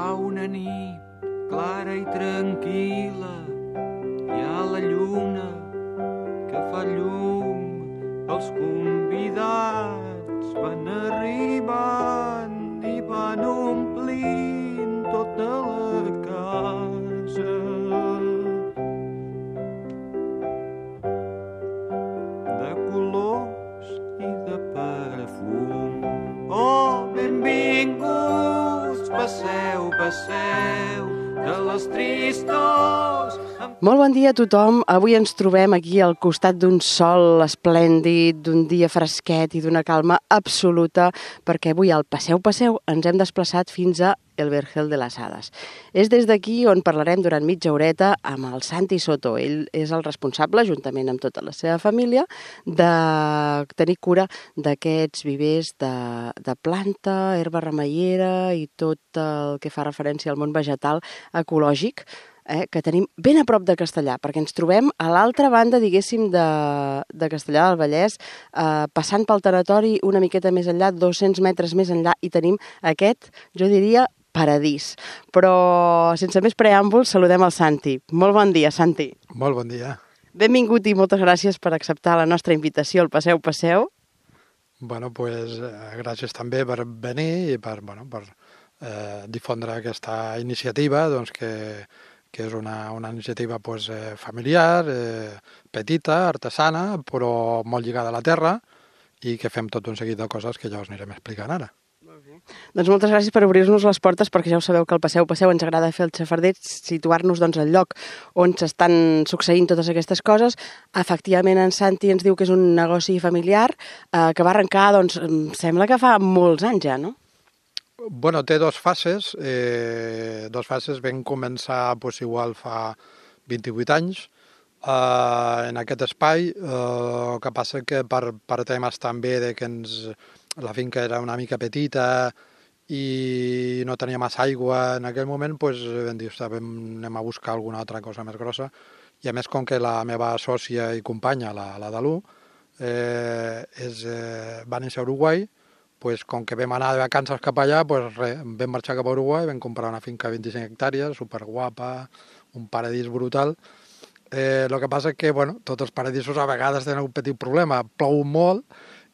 fa una nit clara i tranquil·la, hi ha la lluna que fa llum, els convidats van arribant i van omplint tota la casa. De colors i de perfum. Oh, benvinguts, passeu, passeu, de les tristors. Molt bon dia a tothom. Avui ens trobem aquí al costat d'un sol esplèndid, d'un dia fresquet i d'una calma absoluta, perquè avui al Passeu Passeu ens hem desplaçat fins a el Vergel de les Hades. És des d'aquí on parlarem durant mitja horeta amb el Santi Soto. Ell és el responsable, juntament amb tota la seva família, de tenir cura d'aquests vivers de planta, herba remeiera i tot el que fa referència al món vegetal ecològic, que tenim ben a prop de Castellar, perquè ens trobem a l'altra banda, diguéssim, de Castellar del Vallès, passant pel tanatori una miqueta més enllà, 200 metres més enllà, i tenim aquest, jo diria, paradís. Però, sense més preàmbuls, saludem el Santi. Molt bon dia, Santi. Molt bon dia. Benvingut i moltes gràcies per acceptar la nostra invitació al Passeu Passeu. Bueno, pues, gràcies també per venir i per difondre aquesta iniciativa, doncs, que és una iniciativa pues, familiar, petita, artesana, però molt lligada a la terra i que fem tot un seguit de coses que ja us anirem explicant ara. Doncs moltes gràcies per obrir-nos les portes, perquè ja ho sabeu que al Passeu Passeu ens agrada fer el xafarder, situar-nos doncs, al lloc on s'estan succeint totes aquestes coses. Efectivament, en Santi ens diu que és un negoci familiar que va arrencar, doncs, sembla que fa molts anys ja, no? Bueno, té dues fases. Vam començar igual fa 28 anys en aquest espai. El que passa que per temes també de que la finca era una mica petita i no tenia massa aigua en aquell moment, vam dir, anem a buscar alguna altra cosa més grossa. I a més, com que la meva sòcia i companya, la Dalú, va néixer a Uruguai, com que vam anar de vacances cap allà, vam marxar cap a Uruguai, vam comprar una finca de 25 hectàrees, superguapa, un paradís brutal. El que passa és que, tots els paradisos a vegades tenen un petit problema, plou molt,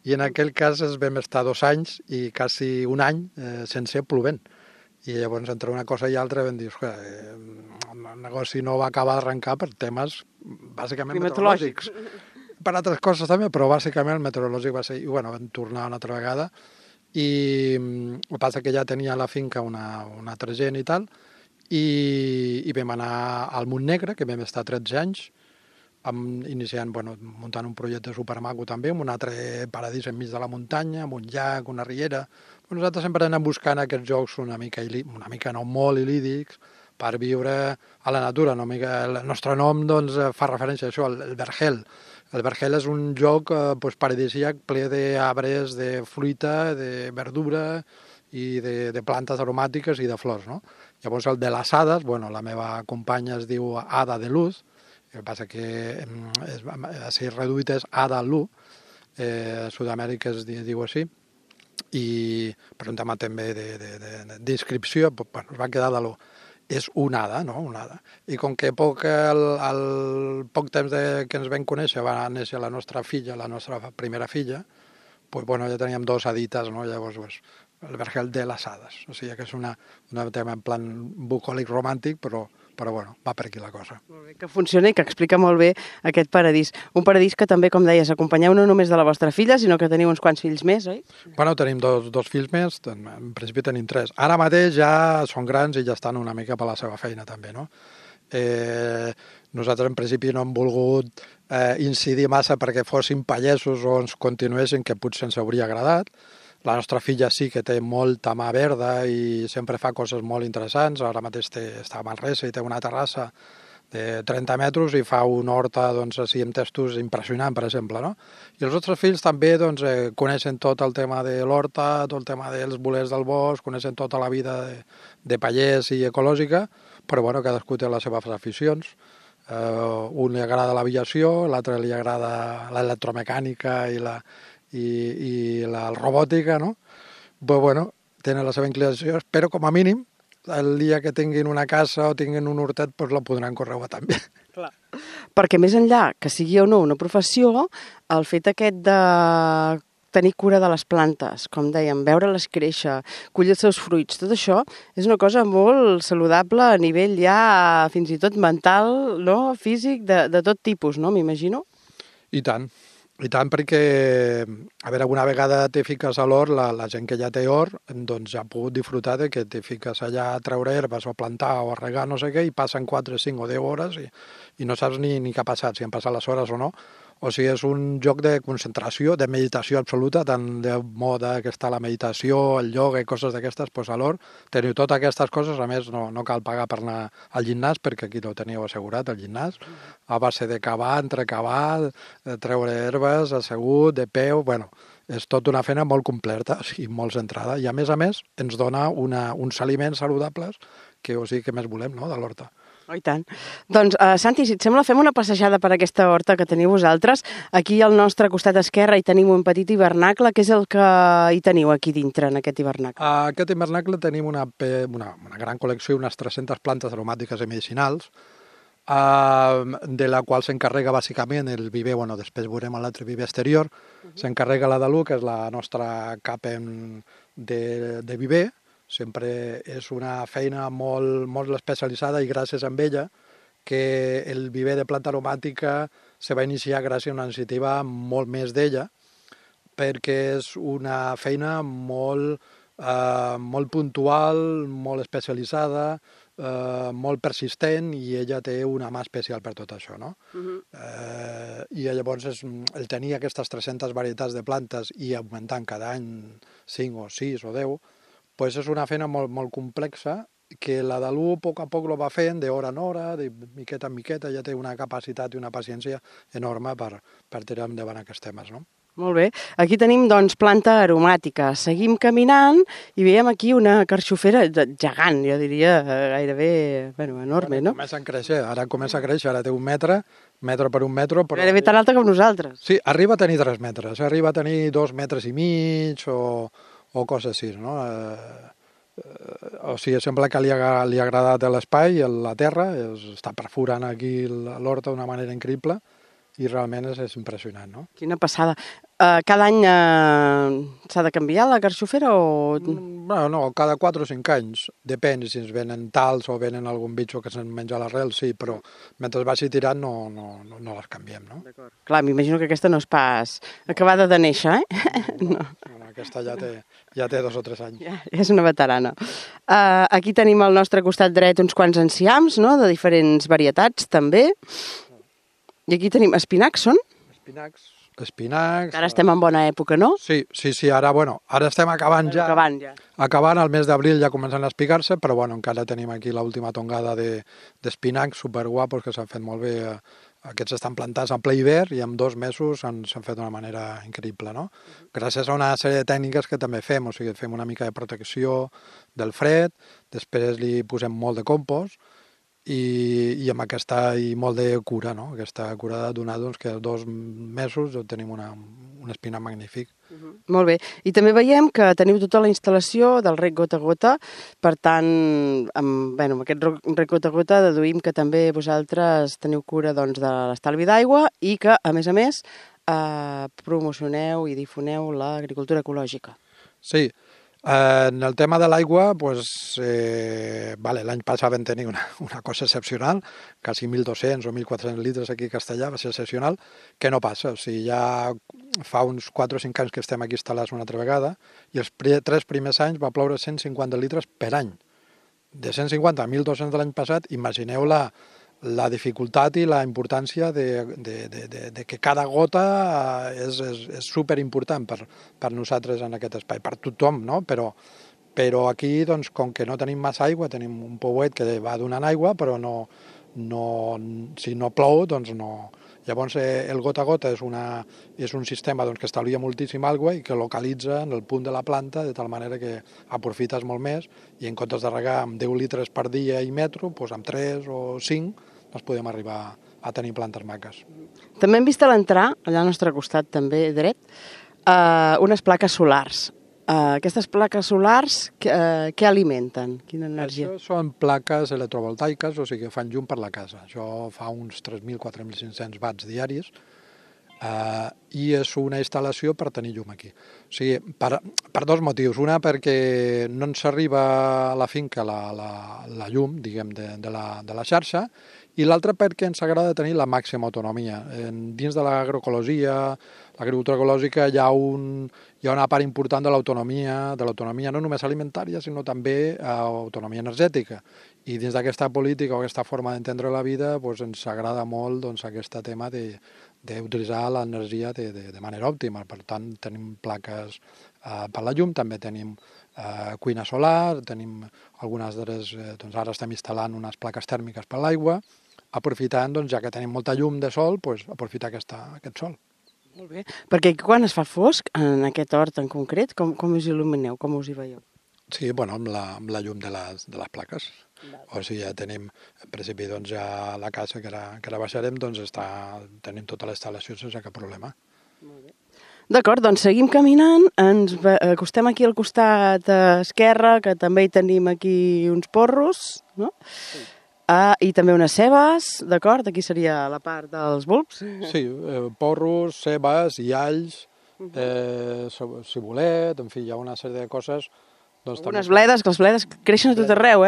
i en aquell cas vam estar 2 anys i quasi un any sense plovent. I llavors, entre una cosa i altra, vam dir, el negoci no va acabar d'arrencar per temes bàsicament meteorològics. Per altres coses també, però bàsicament el meteorològic va ser... I vam tornar una altra vegada i el que passa que ja tenia a la finca una altra gent i tal, i vam anar al Montnegre, que vam estar 13 anys, iniciant, muntant un projecte supermaco també, amb un altre paradís enmig de la muntanya, amb un llac, una riera. Nosaltres sempre anem buscant aquests jocs una mica no molt il·lídics, per viure a la natura. El nostre nom fa referència a això, el Vergel. El Vergel és un lloc paradisíac ple d'arbres, de fruita, de verdura i de plantes aromàtiques i de flors. No? Llavors el de les Hades, la meva companya es diu Ada de Luz, el que passa que si reduït és Ada Lu, a Sud-amèrica es diu així, i per un tema també de descripció, es va quedar de l'U. És una hada, no? Una hada. I com que al poc temps que ens vam conèixer va néixer la nostra filla, la nostra primera filla, ja teníem 2 hadites, no? Llavors, el Vergel de les Hades. O sigui que és un tema en plan bucòlic romàntic, però va per aquí la cosa. Molt bé, que funciona i que explica molt bé aquest paradís. Un paradís que també, com deies, acompanyeu no només de la vostra filla, sinó que teniu uns quants fills més, oi? Tenim dos fills més, en principi tenim 3. Ara mateix ja són grans i ja estan una mica per la seva feina també, no? Nosaltres en principi no hem volgut incidir massa perquè fossin pallesos o ens continuessin, que potser ens hauria agradat. La nostra filla sí que té molta mà verda i sempre fa coses molt interessants. Ara mateix està a Manresa i té una terrassa de 30 metres i fa una horta així amb testos impressionant, per exemple. No? I els nostres fills també coneixen tot el tema de l'horta, tot el tema dels bolers del bosc, coneixen tota la vida de pallès i ecològica, però cadascú té les seves aficions. Un li agrada l'aviació, l'altre li agrada l'electromecànica i la robòtica, no? Tenen la seva inclinació, però com a mínim el dia que tinguin una casa o tinguin un hortet, doncs la podran conrear també. Clar. Perquè més enllà que sigui o no una professió, el fet aquest de tenir cura de les plantes, com dèiem, veure-les créixer, collir els seus fruits, tot això és una cosa molt saludable a nivell ja fins i tot mental, no? Físic, de tot tipus, no? M'imagino. I tant, perquè, a veure, alguna vegada te fiques a l'hort, la gent que ja té hort, doncs ja ha pogut disfrutar de que te fiques allà a treure herbes o a plantar o a regar no sé què i passen 4, 5 o 10 hores i no saps ni què ha passat, si han passat les hores o no. O sigui, és un joc de concentració, de meditació absoluta, tant de moda que està la meditació, el ioga i coses d'aquestes, doncs a l'hort teniu totes aquestes coses, a més no cal pagar per anar al gimnàs, perquè aquí no teniu assegurat, el gimnàs, a base de cavar, entrecavar, de treure herbes, assegut, de peu, bueno, és tota una feina molt completa, o sigui, molt centrada, i a més ens dona uns aliments saludables que, o sigui, que més volem, no?, de l'horta. Oh, i tant. Doncs, Santi, si et sembla, fem una passejada per aquesta horta que teniu vosaltres. Aquí al nostre costat esquerre hi tenim un petit hivernacle. Què és el que hi teniu aquí dintre, en aquest hivernacle? A aquest hivernacle tenim una gran col·lecció, unes 300 plantes aromàtiques i medicinals, de la qual s'encarrega bàsicament el viver, bueno, després veurem l'altre viver exterior, s'encarrega la Dalú, que és la nostra CAPEM de viver. Sempre és una feina molt especialitzada i gràcies a ella que el viver de planta aromàtica se va iniciar gràcies a una iniciativa molt més d'ella, perquè és una feina molt puntual, molt especialitzada, molt persistent, i ella té una mà especial per tot això, no? I llavors el tenir aquestes 300 varietats de plantes i augmentant cada any 5 o 6 o 10, pues és una feina molt complexa que la Dalú a poc lo va fent d'hora en hora, de miqueta en miqueta, ja té una capacitat i una paciència enorme per tirar endavant aquests temes, no? Molt bé. Aquí tenim, doncs, planta aromàtica. Seguim caminant i veiem aquí una carxofera gegant, jo diria, gairebé, bueno, enorme, no? Comença a créixer, ara té 1 metre per 1 metre. Però... Gairebé tan alta com nosaltres. Sí, arriba a tenir 3 metres, arriba a tenir 2 metres i mig o coses així, no? O sigui, sembla que li ha agradat l'espai, la terra, està perforant aquí l'horta d'una manera increïble i realment és impressionant, no? Quina passada. Cada any s'ha de canviar la carxofera o...? No, cada 4 o 5 anys. Depèn si ens venen tals o venen algun bitxo que se'n menja l'arrel, sí, però mentre vagi tirant no les canviem, no? Clar, m'imagino que aquesta no és pas acabada de néixer, No, aquesta ja té 2 o 3 anys. Ja és una veterana. Aquí tenim al nostre costat dret uns quants enciams, no?, de diferents varietats, també. I aquí tenim espinacs, són? Espinacs. Ara estem en bona època, no? Sí, ara estem acabant ja. Acabant, el mes d'abril ja comencen a espigar-se, però encara tenim aquí l'última tongada d'espinacs superguapos que s'han fet molt bé. Aquests estan plantats en ple hivern i en 2 mesos s'han fet d'una manera increïble, no? Gràcies a una sèrie de tècniques que també fem, o sigui, fem una mica de protecció del fred, després li posem molt de compost, i amb aquesta i molt de cura, no? Aquesta cura ha donat que en 2 mesos tenim un espinac magnífic. Molt bé. I també veiem que teniu tota la instal·lació del rec gota a gota, per tant, amb aquest rec gota a gota deduïm que també vosaltres teniu cura de l'estalvi d'aigua i que, a més, promocioneu i difoneu l'agricultura ecològica. Sí. En el tema de l'aigua, l'any passat vam tenir una cosa excepcional, quasi 1.200 o 1.400 litres aquí a Castellà, va ser excepcional, que no passa. O sigui, ja fa uns 4 o 5 anys que estem aquí instal·lats una altra vegada i els 3 primers anys va ploure 150 litres per any. De 150 a 1.200 de l'any passat, imagineu la dificultat i la importància de que cada gota és superimportant per nosaltres en aquest espai, per tothom, no? Però aquí, doncs, com que no tenim massa aigua, tenim un pouet que va donant aigua, però si no plou, doncs no. Llavors, el gota a gota és un sistema que estalvia moltíssim aigua i que localitza en el punt de la planta de tal manera que aprofites molt més i en comptes de regar amb 10 litres per dia i metro, doncs amb 3 o 5 podem arribar a tenir plantes maques. També hem vist a l'entrar, allà al nostre costat també dret, unes plaques solars. Aquestes plaques solars, què alimenten? Quina energia? Això són plaques electrovoltaiques, o sigui que fan llum per la casa. Això fa uns 3.000-4.500 watts diaris, i és una instal·lació per tenir llum aquí. O sigui, per dos motius. Una, perquè no ens arriba a la finca la llum, diguem, de la xarxa, i l'altra perquè ens agrada tenir la màxima autonomia. Dins de l'agroecologia, l'agricultura ecològica, hi ha una part important de l'autonomia no només alimentària, sinó també autonomia energètica. I dins d'aquesta política o aquesta forma d'entendre la vida ens agrada molt aquest tema d'utilitzar l'energia de manera òptima. Per tant, tenim plaques per la llum, també tenim cuina solar, tenim algunes d'elles, ara estem instal·lant unes plaques tèrmiques per l'aigua, aprofitant, ja que tenim molta llum de sol, aprofitar aquest sol. Molt bé. Perquè quan es fa fosc, en aquest hort en concret, com us il·lumineu, com us hi veieu? Sí, amb la llum de les plaques. O sigui, ja tenim, en principi, ja la casa que ara baixarem, tenim tota la instal·lació sense cap problema. Molt bé. D'acord, doncs seguim caminant, ens acostem aquí al costat esquerre, que també hi tenim aquí uns porros, no? Sí. I també unes cebes, d'acord? Aquí seria la part dels bulbs. Sí, porros, cebes, ialls, cibulet, en fi, hi ha una sèrie de coses. Unes bledes, que les bledes creixen a tot arreu,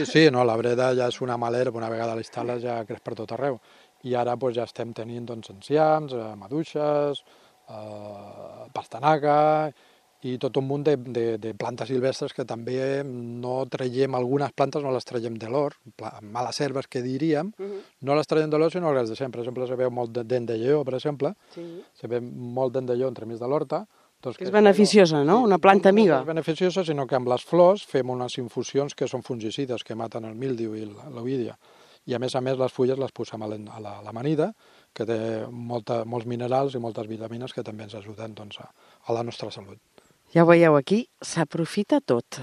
Sí, no, la breda ja és una malera, una vegada l'instal·les ja creix per tot arreu. I ara ja estem tenint enciams, maduixes, pastanaga i tot un munt de plantes silvestres que també no traiem, algunes plantes no les traiem de l'hort, males herbes que diríem, no les traiem de l'hort sinó les deixem. Per exemple, se veu molt dent de lleó, per exemple, se veu molt dent de lleó entremig de l'horta. Que és beneficiosa, no? Una planta amiga. No és beneficiosa, sinó que amb les flors fem unes infusions que són fungicides, que maten el míldiu i l'oïdia. I a més les fulles les posem a l'amanida, que té molts minerals i moltes vitamines que també ens ajuden a la nostra salut. Ja ho veieu aquí, s'aprofita tot.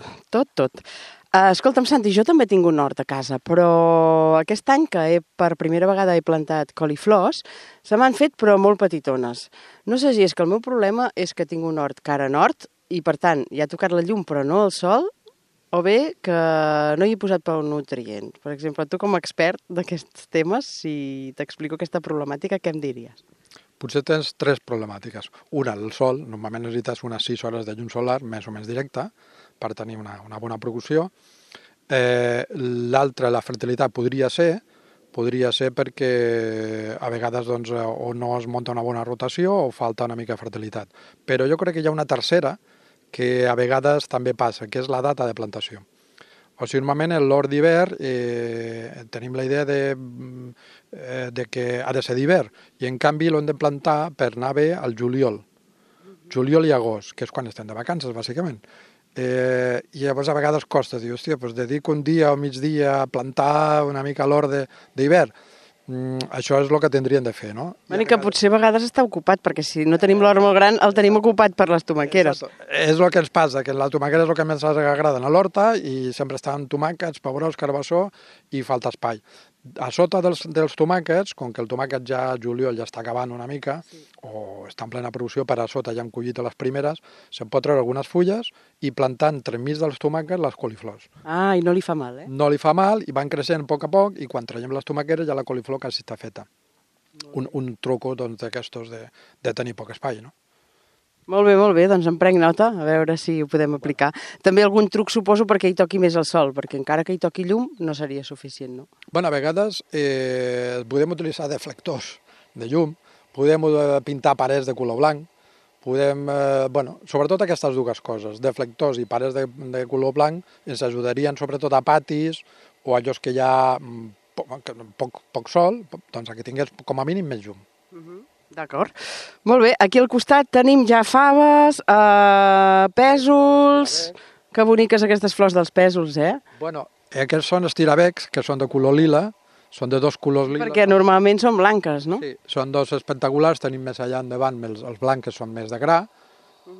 Escolta'm, Santi, jo també tinc un hort a casa, però aquest any que per primera vegada he plantat coliflors, se m'han fet però molt petitones. No sé si és que el meu problema és que tinc un hort cara nord i, per tant, hi ha tocat la llum però no el sol, o bé que no hi he posat prou nutrient. Per exemple, tu com a expert d'aquests temes, si t'explico aquesta problemàtica, què em diries? Potser tens tres problemàtiques. Una, el sol. Normalment necessites unes 6 hores de llum solar, més o menys directa, per tenir una bona producció. L'altra, la fertilitat, podria ser perquè a vegades o no es munta una bona rotació o falta una mica de fertilitat. Però jo crec que hi ha una tercera que a vegades també passa, que és la data de plantació. O sigui, normalment l'hort d'hivern tenim la idea de que ha de ser d'hivern i en canvi l'hem de plantar per anar bé al juliol. Juliol i agost, que és quan estem de vacances, bàsicament. I llavors a vegades costa dir, hòstia, dedico un dia o migdia a plantar una mica l'hort d'hivern. Això és el que tindrien de fer, no? Que potser a vegades està ocupat, perquè si no tenim l'hort molt gran, el tenim ocupat per les tomaqueres. És el que ens passa, que la tomaquera és el que més ens agrada a l'horta i sempre estan tomàquets, pebrós, carbassó i falta espai. A sota dels tomàquets, com que el tomàquet ja juliol ja està acabant una mica, o està en plena producció, per a sota ja hem collit les primeres, se'n pot treure algunes fulles i plantar entremig dels tomàquets les coliflors. I no li fa mal, No li fa mal i van creixent a poc i quan traiem les tomaqueres ja la coliflor quasi està feta. Un truco d'aquestos de tenir poc espai, no? Molt bé, doncs en prenc nota, a veure si ho podem aplicar. També algun truc, suposo, perquè hi toqui més el sol, perquè encara que hi toqui llum no seria suficient, no? A vegades podem utilitzar deflectors de llum, podem pintar parets de color blanc, sobretot aquestes dues coses, deflectors i parets de color blanc, ens ajudarien sobretot a patis o a llocs que hi ha poc sol, doncs que tingués com a mínim més llum. D'acord. Molt bé, aquí al costat tenim ja faves, pèsols... Que boniques aquestes flors dels pèsols, Aquests són estirabecs, que són de color lila, són de dos colors lila. Perquè normalment són blanques, no? Sí, són dos espectaculars, tenim més allà endavant, els blancs que són més de gra,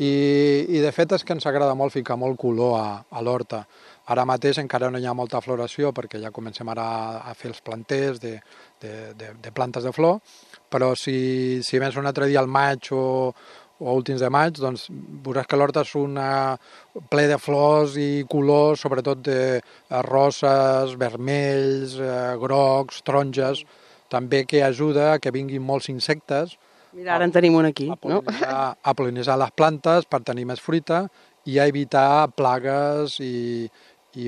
i de fet és que ens agrada molt ficar molt color a l'horta. Ara mateix encara no hi ha molta floració perquè ja comencem ara a fer els planters de plantes de flor, però si més un altre dia al maig o o últims de maig, doncs veuràs que l'horta és ple de flors i colors, sobretot de roses, vermells, grocs, taronges, també que ajuda a que vinguin molts insectes. Mira, ara en tenim un aquí, no? A pol·linitzar les plantes per tenir més fruita i a evitar plagues i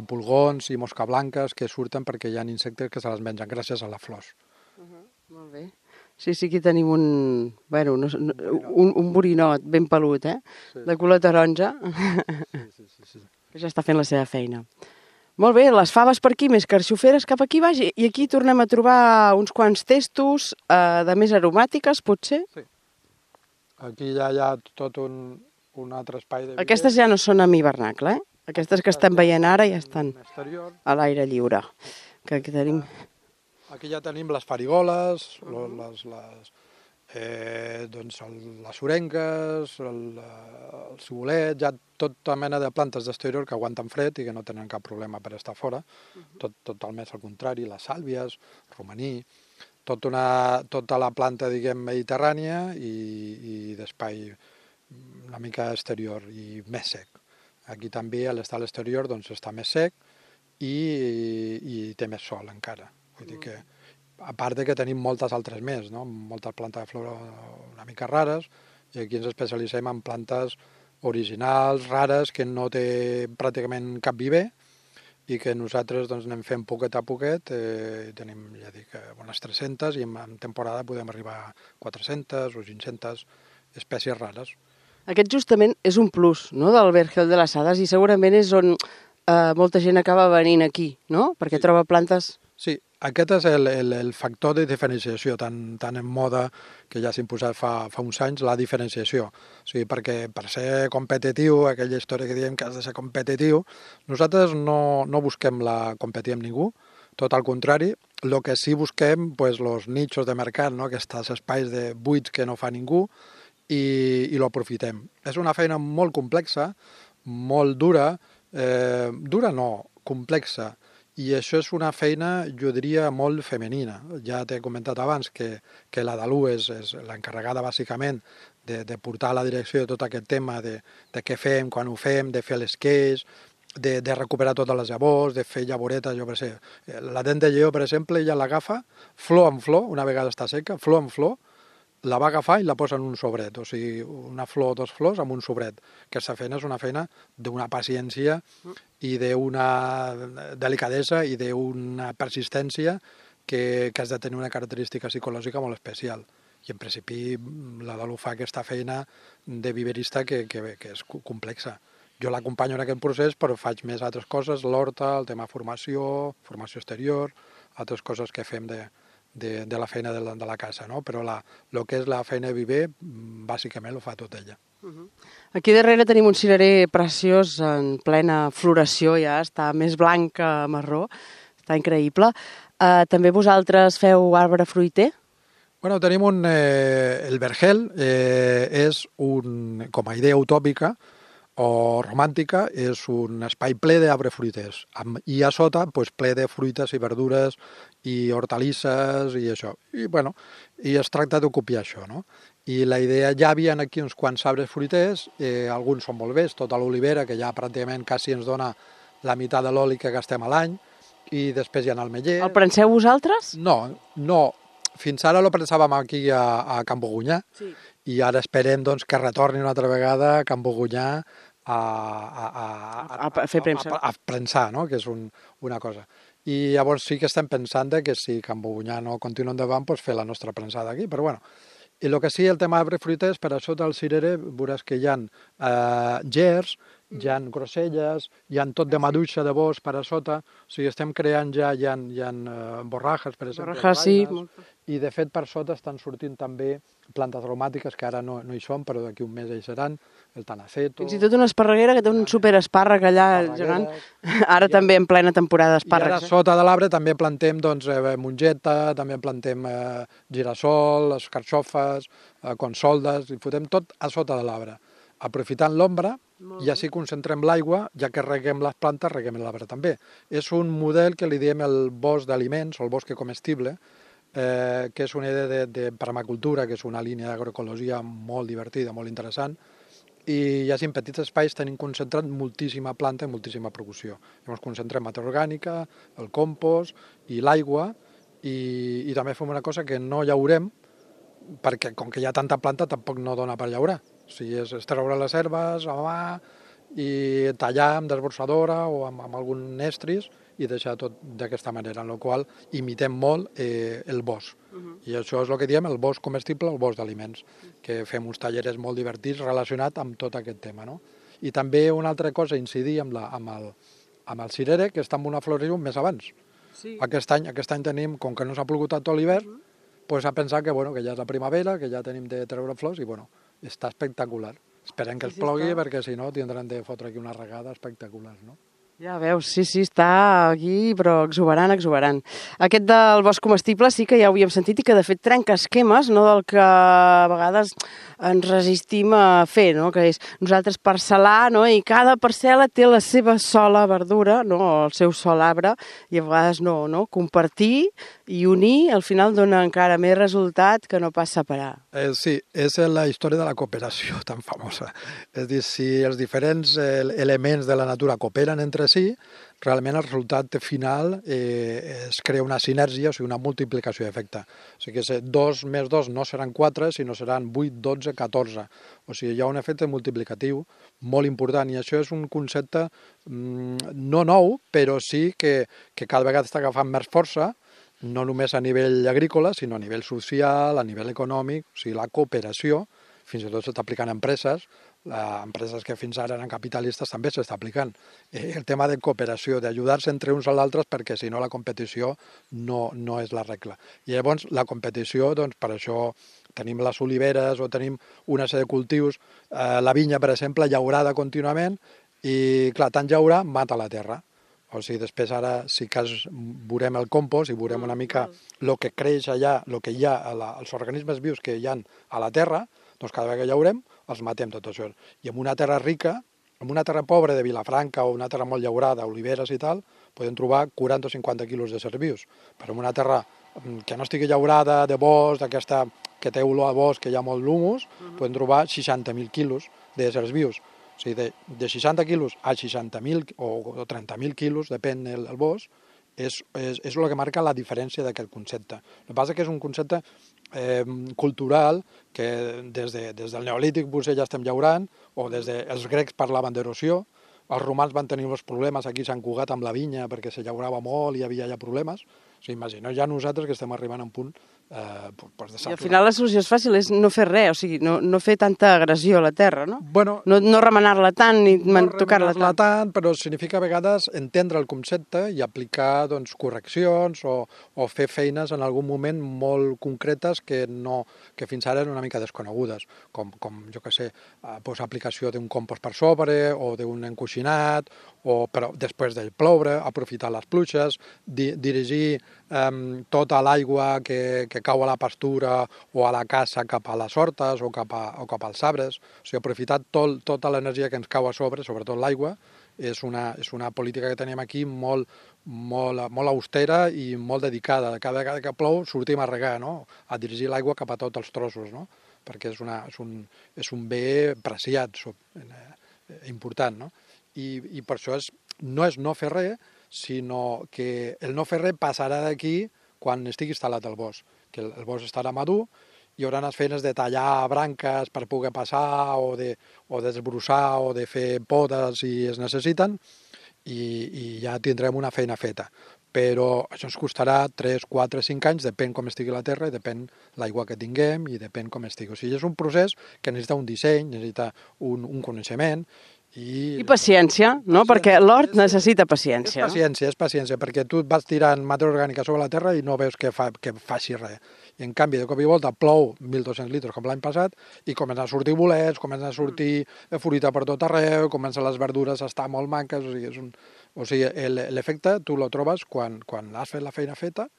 pulgons i mosca blanques que surten perquè hi ha insectes que se les mengen gràcies a les flors. Molt bé. Sí, aquí tenim un borinot ben pelut, de color taronja, Sí. que ja està fent la seva feina. Molt bé, les faves per aquí, més carxoferes cap aquí baix, i aquí tornem a trobar uns quants testos de més aromàtiques, potser? Sí. Aquí ja hi ha tot un altre espai de... Aquestes ja no són amb hivernacle, Aquestes que estem veient ara ja estan exterior. a l'aire lliure. Que aquí tenim... Aquí ja tenim les farigoles, les orengues, el cibolet, ja tota mena de plantes d'exterior que aguanten fred i que no tenen cap problema per estar fora. Tot el més al contrari, les sàlvies, romaní, tota la planta, diguem, mediterrània i d'espai una mica exterior i més sec. Aquí també, a l'estar a l'exterior, doncs està més sec i té més sol encara. Vull dir que, a part de que tenim moltes altres més, no? Moltes plantes de flora una mica rares, i aquí ens especialitzem en plantes originals, rares, que no té pràcticament cap viver, i que nosaltres doncs, anem fent poquet a poquet, tenim, ja dic, unes 300, i en temporada podem arribar a 400 o 500 espècies rares. Aquest justament és un plus, no?, del Vergel de les Hades, i segurament és on molta gent acaba venint aquí, no?, perquè troba plantes... Sí, aquest és el factor de diferenciació, tan en moda que ja s'ha imposat fa uns anys, la diferenciació. O sigui, perquè per ser competitiu, aquella història que diem que has de ser competitiu, nosaltres no busquem competir amb ningú, tot al contrari, el que sí busquem, doncs, els nichos de mercat, no? Aquests espais de buits que no fa ningú, i l'aprofitem. És una feina molt complexa, molt dura, complexa, i això és una feina, jo diria, molt femenina. Ja t'he comentat abans que la Dalú és l'encarregada bàsicament de portar a la direcció de tot aquest tema de què fem, quan ho fem, de fer l'esqueix, de recuperar totes les llavors, de fer llavoretes, jo per sé. La dent de lleó, per exemple, ella l'agafa flor en flor, una vegada està seca, flor en flor, la va agafar i la posa en un sobret, o sigui, una flor o dos flors amb un sobret. Aquesta feina és una feina d'una paciència i d'una delicadesa i d'una persistència que has de tenir una característica psicològica molt especial. I en principi la Dalú fa aquesta feina de viverista que és complexa. Jo l'acompanyo en aquest procés, però faig més altres coses, l'horta, el tema formació exterior, altres coses que fem de la feina de la casa, no? Però el que és la feina de viver, bàsicament ho fa tot ella. Aquí darrere tenim un cirerer preciós en plena floració, ja està més blanc que marró, està increïble. També vosaltres feu arbre fruiter? Bueno, tenim el vergel, és com a idea utòpica o romàntica, és un espai ple d'arbre fruiters, i a sota ple de fruites i verdures i hortalisses i això. I es tracta de copiar això, no? I la idea, ja hi havia aquí uns quants arbres fruiters, alguns són molt vells, tota l'olivera, que ja pràcticament quasi ens dona la meitat de l'oli que gastem a l'any, i després hi ha el meller. El prenseu vosaltres? No. Fins ara lo prensàvem aquí a Can Bogunyà, sí. I ara esperem doncs, que retorni una altra vegada a Can Bogunyà a fer premsa. A prensar, no? Que és una cosa. I llavors sí que estem pensant que si Can Bogunyà no continua endavant, doncs fer la nostra prensada aquí, però bueno. I el que sí, el tema d'arbres fruiters, per a sota del cirerer veuràs que hi ha gers, hi ha groselles, hi ha tot de maduixa de bosc per a sota, o sigui, estem creant ja, hi ha borrajes, per exemple, borrajes, sí. I de fet per sota estan sortint també plantes aromàtiques que ara no hi són, però d'aquí un mes hi seran, el tanaceto... Fins i tot una esparreguera que té un superespàrrec allà gegant, ara també en plena temporada d'espàrrecs. I ara sota de l'arbre també plantem mongeta, també plantem girassol, carxofes, consoldes, i fotem tot a sota de l'arbre. Aprofitant l'ombra, i així concentrem l'aigua, ja que reguem les plantes, reguem l'arbre també. És un model que li diem el bosc d'aliments, o el bosc comestible, que és una idea de permacultura, que és una línia d'agroecologia molt divertida, molt interessant, i ja en petits espais tenim concentrat moltíssima planta i moltíssima producció. Llavors concentrem matèria orgànica, el compost i l'aigua, i també fem una cosa que no llaurem, perquè com que hi ha tanta planta tampoc no dona per llaurar. O sigui, és treure les herbes a mà i tallar amb desbrossadora o amb algun estris i deixar tot d'aquesta manera, en la qual imitem molt el bosc. I això és el que diem el bosc comestible, el bosc d'aliments, que fem uns talleres molt divertits relacionats amb tot aquest tema. No? I també una altra cosa, incidir amb el cirere, que està en una floració més abans. Sí. Aquest any tenim, com que no s'ha plogut tot l'hivern, pues a pensar que ja és la primavera, que ja tenim de treure flors i està espectacular. Esperem que es plogui perquè si no tindran de fotre aquí una regada espectacular, no? Ja veus, sí, està aquí, però exuberant, exuberant. Aquest del bosc comestible sí que ja ho havíem sentit i que de fet trenca esquemes, no, del que a vegades ens resistim a fer, no? Que és nosaltres parcel·lar, no? I cada parcel·la té la seva sola verdura, no? El seu sol arbre, i a vegades no? Compartir i unir al final dona encara més resultat que no pas separar. Sí, és la història de la cooperació tan famosa. És a dir, si els diferents elements de la natura cooperen entre si, realment el resultat final es crea una sinergia, o sigui, una multiplicació d'efecte. O sigui que 2 més 2 no seran 4, sinó seran 8, 12, 14. O sigui, hi ha un efecte multiplicatiu molt important i això és un concepte no nou, però sí que cada vegada està agafant més força, no només a nivell agrícola, sinó a nivell social, a nivell econòmic, o sigui, la cooperació, fins i tot s'està aplicant a empreses que fins ara eren capitalistes també s'està aplicant. El tema de cooperació, d'ajudar-se entre uns a l'altres, perquè si no la competició no és la regla. I llavors la competició, doncs per això tenim les oliveres o tenim una sèrie de cultius, la vinya, per exemple, llaurada contínuament, i clar, tant llaurar mata la terra. O sigui, després ara sí que veurem el compost i veurem una mica el que creix allà, el que hi ha, els organismes vius que hi ha a la terra, doncs cada vegada que llaurem els matem tot això. I en una terra rica, en una terra pobra de Vilafranca o una terra molt llaurada, oliveres i tal, podem trobar 40 o 50 quilos de éssers vius. Però en una terra que no estigui llaurada, de bosc, d'aquesta que té olor a bosc, que hi ha molt l'humus, podem trobar 60.000 quilos d'éssers vius. O sigui, de 60 quilos a 60.000 o 30.000 quilos, depèn el bosc, és el que marca la diferència d'aquest concepte. El que passa és que és un concepte cultural que des del Neolític potser ja estem llaurant, o els grecs parlaven d'erosió, els romans van tenir els problemes aquí a Sant Cugat amb la vinya perquè se llaurava molt i hi havia ja problemes. O sigui, imagineu ja nosaltres que estem arribant a un punt de saturar. I al final la solució és fàcil, és no fer res, o sigui, no fer tanta agressió a la terra, no? Bueno, no remenar-la tant ni tocar-la tant. Però significa a vegades entendre el concepte i aplicar correccions o fer feines en algun moment molt concretes que fins ara eren una mica desconegudes, com jo què sé, aplicació d'un compost per sobre o d'un encoixinat, però després de ploure, aprofitar les pluges, dirigir tota l'aigua que cau a la pastura o a la casa cap a les hortes o cap als arbres. O sigui, aprofitar tota l'energia que ens cau a sobre, sobretot l'aigua, és una política que tenim aquí molt austera i molt dedicada. Cada vegada que plou sortim a regar, no? A dirigir l'aigua cap a tots els trossos, no? Perquè és un bé preciat, important, no? I per això no és no fer res, sinó que el no fer res passarà d'aquí quan estigui instal·lat el bosc, que el bosc estarà madur, hi haurà les feines de tallar branques per poder passar o desbrossar o de fer podes si es necessiten i ja tindrem una feina feta. Però això ens costarà 3, 4, 5 anys, depèn com estigui la terra i depèn l'aigua que tinguem i depèn com estigui. O sigui, és un procés que necessita un disseny, necessita un coneixement, i paciència, no? Perquè l'hort necessita paciència. És paciència, perquè tu et vas tirant matèria orgànica sobre la terra i no veus que faci res. I en canvi, de cop i volta plou 1.200 litres com l'any passat i comencen a sortir bolets, comencen a sortir fruita per tot arreu, comencen les verdures a estar molt manques, o sigui, l'efecte tu lo trobes quan has fet la feina feta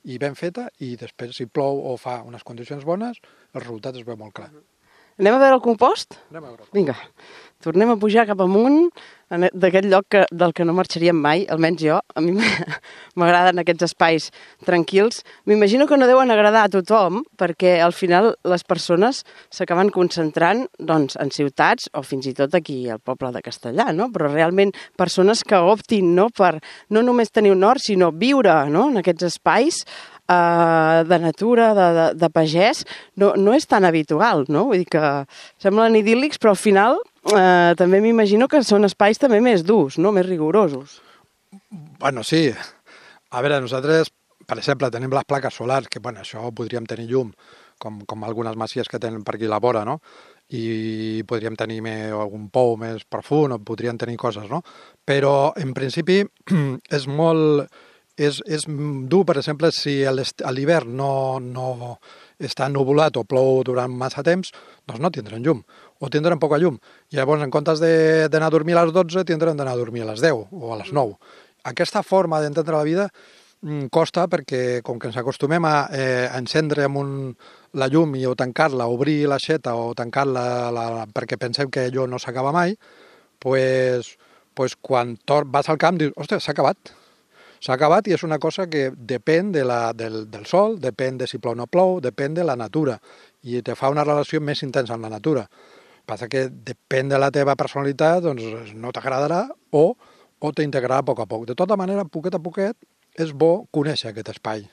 i ben feta i després si plou o fa unes condicions bones, el resultat es veu molt clar. Anem a veure el compost? Anem a veure. Vinga, tornem a pujar cap amunt, d'aquest lloc del que no marxaríem mai, almenys jo. A mi m'agraden aquests espais tranquils. M'imagino que no deuen agradar a tothom, perquè al final les persones s'acaben concentrant doncs, en ciutats o fins i tot aquí al poble de Castellà, no? Però realment persones que optin no, per no només tenir un hort, sinó viure no, en aquests espais de natura, de pagès, no és tan habitual, no? Vull dir que semblen idíl·lics, però al final també m'imagino que són espais també més durs, no? Més rigorosos. Bueno, sí. A veure, nosaltres, per exemple, tenim les plaques solars, que bueno, això podríem tenir llum, com algunes masies que tenen per aquí a la vora, no? I podríem tenir algun pou més profund, o podríem tenir coses, no? Però, en principi, és molt... És dur, per exemple, si a l'hivern no està nuvolat o plou durant massa temps, doncs no tindran llum, o tindran poca llum. I llavors, en comptes d'anar a dormir a les 12, tindran d'anar a dormir a les 10 o a les 9. Aquesta forma d'entendre la vida costa perquè, com que ens acostumem a encendre la llum o tancar-la, obrir l'aixeta o tancar-la perquè pensem que allò no s'acaba mai, pues quan vas al camp dius, ostres, s'ha acabat. S'ha acabat i és una cosa que depèn del sol, depèn de si plou o no plou, depèn de la natura i te fa una relació més intensa amb la natura. Passa que depèn de la teva personalitat, doncs no t'agradarà o t'integrarà a poc. De tota manera, poquet a poquet, és bo conèixer aquest espai,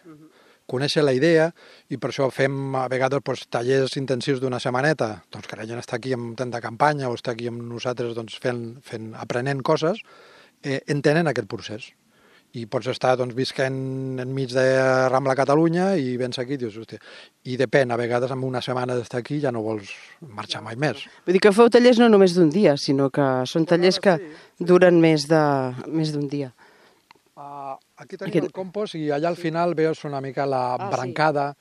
conèixer la idea i per això fem a vegades tallers intensius d'una setmaneta, doncs que la gent està aquí en temps de campanya o està aquí amb nosaltres doncs, aprenent coses, entenen aquest procés. I pots estar visquent enmig de Rambla Catalunya i vens aquí i dius, hòstia, i depèn, a vegades amb una setmana d'estar aquí ja no vols marxar mai més. Vull dir que feu tallers no només d'un dia, sinó que són tallers que duren més d'un dia. Aquí tenim el compost i allà al final veus una mica la brancada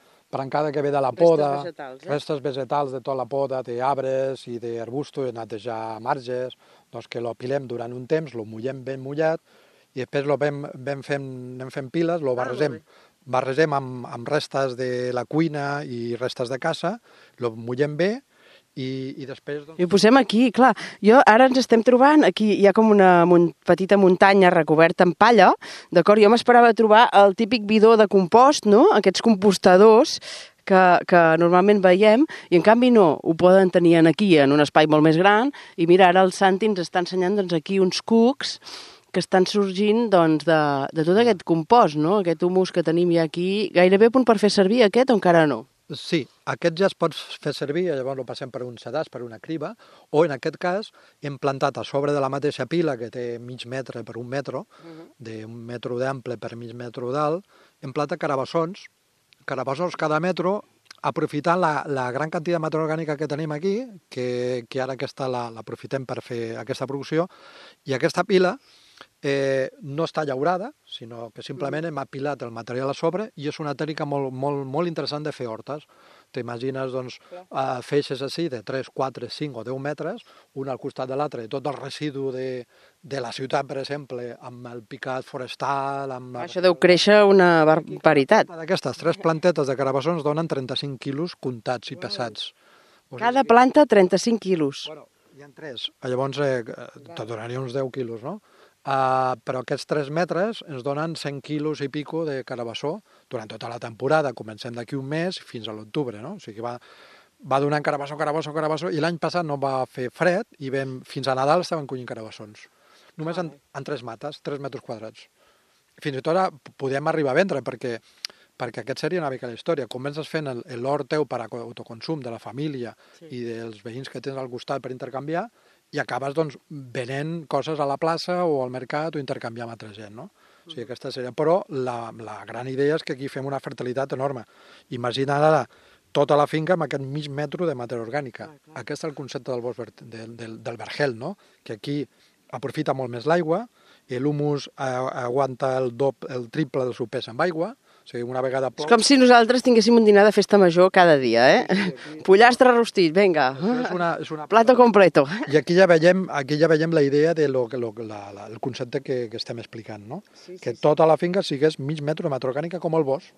que ve de la poda, restes vegetals de tota la poda, d'arbres i d'arbustos, de netejar marges, doncs que l'apilem durant un temps, lo mullem ben mullat, i després anem fent piles, lo barregem amb restes de la cuina i restes de casa, lo mullem bé i després... I ho posem aquí, clar. Ara ens estem trobant, aquí hi ha com una petita muntanya recoberta amb palla, d'acord? Jo m'esperava trobar el típic bidó de compost, no? Aquests compostadors que normalment veiem, i en canvi no, ho poden tenir aquí, en un espai molt més gran, i mira, ara el Santi ens està ensenyant aquí uns cucs que estan sorgint de tot aquest compost, no? Aquest humus que tenim ja aquí, gairebé a punt per fer servir aquest o encara no? Sí, aquest ja es pot fer servir, llavors el passem per un sedàs, per una criba, o en aquest cas hem plantat a sobre de la mateixa pila, que té mig metre per un metre, d'un metre d'ample per mig metre d'alt, hem plantat carabassons cada metro, aprofitant la gran quantitat de matèria orgànica que tenim aquí, que ara aquesta l'aprofitem per fer aquesta producció, i aquesta pila no està llaurada, sinó que simplement hem apilat el material a sobre i és una tècnica molt interessant de fer hortes. T'imagines feixes així de 3, 4, 5 o 10 metres, un al costat de l'altre, tot el residu de la ciutat, per exemple, amb el picat forestal... Això deu créixer una barbaritat. Aquestes 3 plantetes de carabassons donen 35 quilos comptats i pesats. Cada planta 35 quilos. Bueno, hi ha 3, llavors te donaria uns 10 quilos, no? Però aquests 3 metres ens donen 100 quilos i pico de carabassó durant tota la temporada. Comencem d'aquí un mes fins a l'octubre, no? O sigui, va donant carabassó, i l'any passat no va fer fred i fins a Nadal estaven collint carabassons. Només en 3 mates, 3 metres quadrats. Fins i tot podem arribar a vendre, perquè aquest seria una mica la història. Comences fent l'hort teu per a autoconsum de la família i dels veïns que tens al costat per intercanviar, i acabes venent coses a la plaça o al mercat o intercanviar amb altra gent, no? O sigui, aquesta seria... Però la gran idea és que aquí fem una fertilitat enorme. Imagina't ara tota la finca amb aquest mig metre de matèria orgànica. Aquest és el concepte del bosc del vergel, no? Que aquí aprofita molt més l'aigua, l'humus aguanta el triple del seu pes amb aigua, o sigui, una vegada plou... És com si nosaltres tinguéssim un dinar de festa major cada dia, eh? Pollastre rostit, vinga. És una plato completo. I aquí ja veiem la idea del concepte que estem explicant, no? Que tota la finca sigués mig metre de matèria orgànica com el bosc.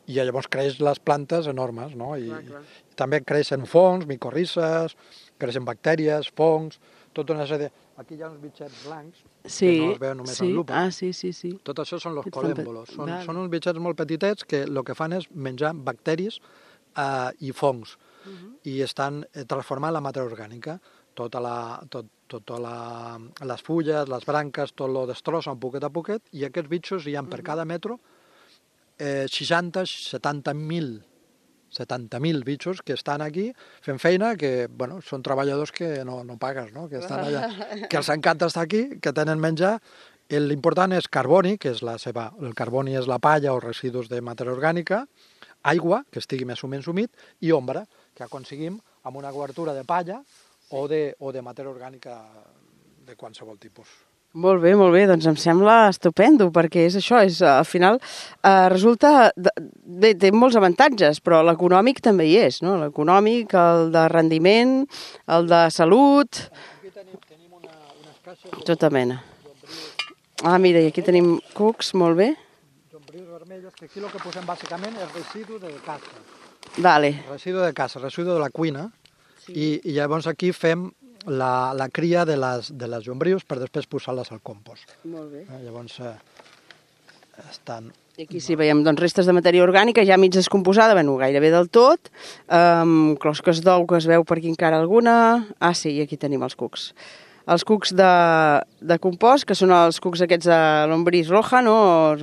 i llavors creix les plantes enormes, no? I Clar. també creixen fongs, micorrizes, creixen bactèries, fongs, tota una sèrie... Aquí hi ha uns bitxets blancs, Sí, que no es veuen només sí. en lupa. Sí. Tot això són els Aquests fan colèmbolos. Vale. Són uns bitxets molt petitets que el que fan és menjar bacteris i fongs i estan transformant la matèria orgànica. Les fulles, les branques, tot lo destrossen poquet a poquet i aquests bitxos hi ha per cada metro 70.000 bitxos que estan aquí fent feina, que bueno, són treballadors que no pagues, no? Que estan allà, que els encanta estar aquí, que tenen menjar. L'important és carboni, que és el carboni és la palla o residus de matèria orgànica, aigua, que estigui més o menys humit, i ombra, que aconseguim amb una cobertura de palla o de matèria orgànica de qualsevol tipus. Molt bé, doncs em sembla estupendo, perquè és això, al final resulta... Bé, té molts avantatges, però l'econòmic també hi és, no? L'econòmic, el de rendiment, el de salut... Aquí tenim unes caixes... Tota mena. Mira, i aquí tenim cucs, molt bé. Llombrius vermelles, que aquí el que posem bàsicament és residu de caça. Vale. Residu de caça, residu de la cuina, i llavors aquí fem la cria de les llombrius per després posar-les al compost. Molt bé. Llavors estan... I aquí sí veiem doncs, restes de matèria orgànica ja mig descomposada, bueno, gairebé del tot, closques d'ou que es veu per aquí encara alguna... Sí, i aquí tenim els cucs. Els cucs de compost, que són els cucs aquests de Lombriz roja, no?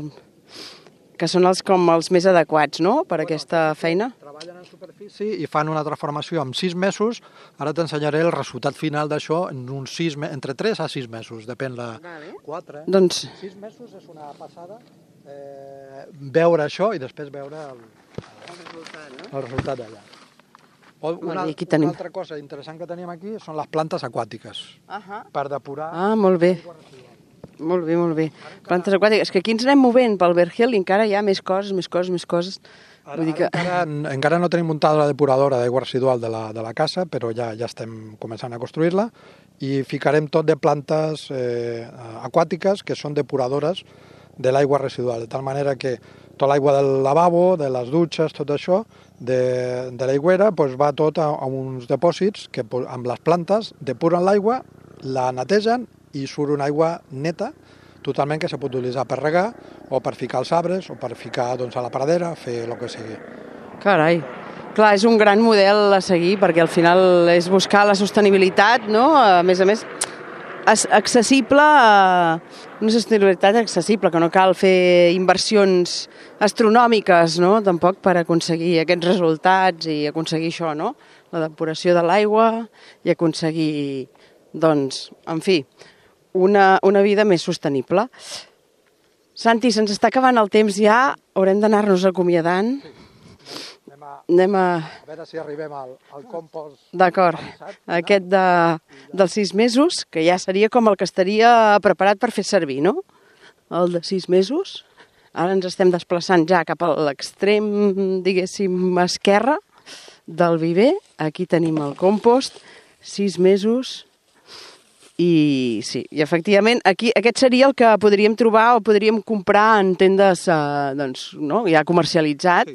Que són com els més adequats, no?, per aquesta feina. Treballen en superfície i fan una transformació en 6 mesos. Ara t'ensenyaré el resultat final d'això en uns entre 3 a 6 mesos, depèn la... 4, Doncs... 6 mesos és una passada veure això i després veure el resultat d'allà. Una altra cosa interessant que tenim aquí són les plantes aquàtiques, per depurar... molt bé. Molt bé. Plantes aquàtiques. És que aquí ens anem movent pel Vergel i encara hi ha més coses. Encara no tenim muntada la depuradora d'aigua residual de la casa, però ja estem començant a construir-la i ficarem tot de plantes aquàtiques que són depuradores de l'aigua residual, de tal manera que tota l'aigua del lavabo, de les dutxes, tot això, de l'aigüera, va tot a uns depòsits que amb les plantes depuren l'aigua, la netegen i surt una aigua neta, totalment que se pot utilitzar per regar o per ficar als arbres o per ficar a la pradera, fer el que sigui. Carai. Clar, és un gran model a seguir perquè al final és buscar la sostenibilitat, no? A més, accessible, una sostenibilitat accessible, que no cal fer inversions astronòmiques, no?, tampoc per aconseguir aquests resultats i aconseguir això, no?, la depuració de l'aigua i aconseguir, doncs, en fi, una vida més sostenible. Santi, se'ns està acabant el temps ja, haurem d'anar-nos acomiadant. Anem a veure si arribem al compost. D'acord, aquest dels 6 mesos, que ja seria com el que estaria preparat per fer servir, no? El de 6 mesos. Ara ens estem desplaçant ja cap a l'extrem, diguéssim, esquerre del viver. Aquí tenim el compost, 6 mesos. I sí, i efectivament aquest seria el que podríem trobar o podríem comprar en tendes ja comercialitzat,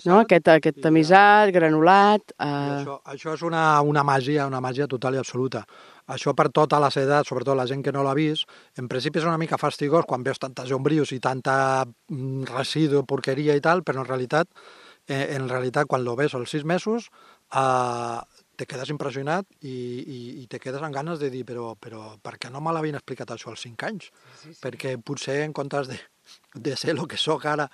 aquest tamisat, granulat. Això és una màgia total i absoluta. Això per totes les edats, sobretot la gent que no l'ha vist, en principi és una mica fastigós quan veus tantes llombrius i tanta residu, porqueria i tal, però en realitat quan lo ves als 6 mesos te quedes impressionat i te quedes amb ganes de dir però per què no me l'havien explicat això als 5 anys? Sí. Perquè potser en comptes de ser el que sóc ara,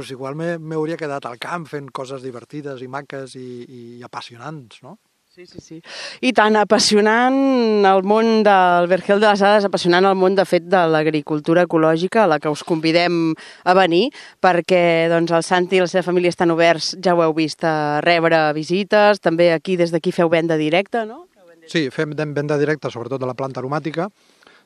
igual m'hauria quedat al camp fent coses divertides i maques i apassionants, no? Sí. I tant, apassionant el món del Vergel de les Hades, apassionant el món, de fet, de l'agricultura ecològica, a la que us convidem a venir, perquè el Santi i la seva família estan oberts, ja ho heu vist, a rebre visites, també aquí, des d'aquí, feu venda directa, no? Sí, fem venda directa, sobretot de la planta aromàtica.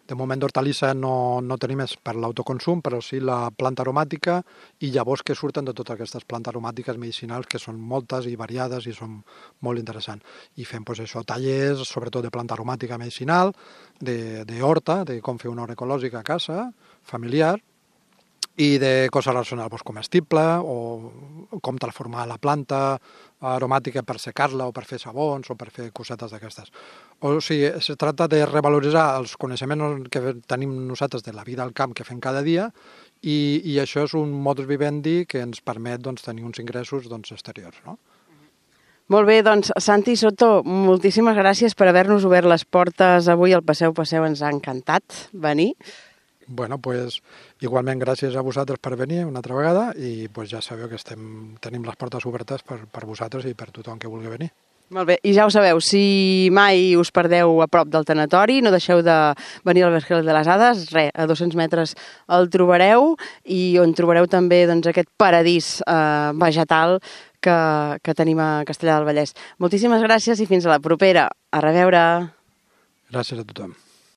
De moment d'hortalissa no tenim més per l'autoconsum, però sí la planta aromàtica i llavors que surten de totes aquestes plantes aromàtiques medicinals, que són moltes i variades i són molt interessants. I fem tallers, sobretot de planta aromàtica medicinal, d'horta, de com fer una horta ecològica a casa, familiar, i de coses relacionades doncs, comestible o com transformar la planta aromàtica per secar-la o per fer sabons o per fer cosetes d'aquestes. O sigui, es tracta de revaloritzar els coneixements que tenim nosaltres de la vida al camp que fem cada dia i això és un modus vivendi que ens permet doncs, tenir uns ingressos doncs, exteriors, no? Molt bé, doncs, Santi Soto, moltíssimes gràcies per haver-nos obert les portes avui al Passeu Passeu. Ens ha encantat venir. Bueno, pues igualment gràcies a vosaltres per venir una altra vegada i pues ja sabeu que tenim les portes obertes per vosaltres i per tothom que vulgui venir. Molt bé, i ja ho sabeu, si mai us perdeu a prop del tanatori, no deixeu de venir al Vergel de les Hades, a 200 metres el trobareu i on trobareu també doncs, aquest paradís vegetal que tenim a Castellar del Vallès. Moltíssimes gràcies i fins a la propera. A reveure. Gràcies a tothom.